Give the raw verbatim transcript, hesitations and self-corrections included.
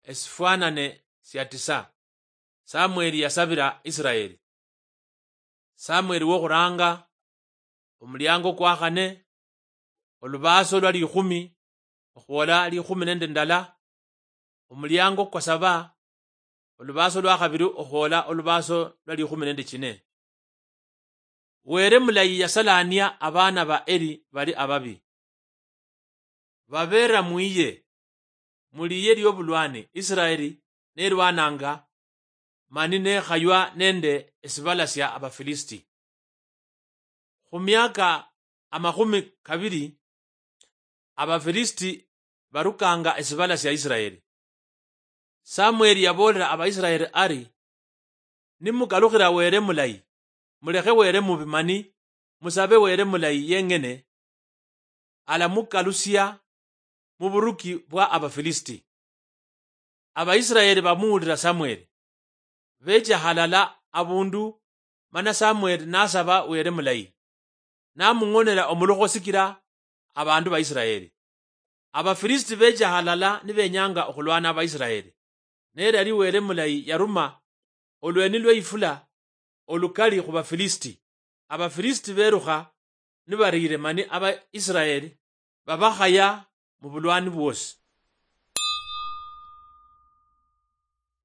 Esifwanane sia tisa. Samweli yasabira Isiraeli. Samweli wokhuranga, omuliango kwa khane, olubaaso lwa likhumi okhwola likhumi nende ndala, omuliango kwa saba, olubaaso lwa khabiri okhwola olubaaso lwa likhumi nende chine. Were mulayi yasalania abaana ba Eli bali ababi. Babeera mwiye, muliye liobulwani Isiraeli nelwananga, mani nekhaywa nende esibala sia Abafilisiti. Khu miaka amakhumi kabiri, Abafilisiti barukanga esibala sia Isiraeli. Samweli yaboolera Abaisiraeli ari, "Nimukalukhira Were mulayi, mulekhe Were mubi mani musabe Were mulayi yeng'ene, alamukalusia mu buruki bwa Abafilisiti." Abaisiraeli bamuwulira Samweli, becha halala abundu, mana Samweli nasaba Were mulayi, namung'onera omulukho sikira abandu ba Isiraeli. Abafilisiti becha halala nibenyanga okhulwana Abaisiraeli, ne yali Were mulayi yaruma olweni lwe ifula olukali khu Bafilisiti. Abafilisiti berukha nibariire mani Abaisiraeli babakhaya mu bulwani bwosi.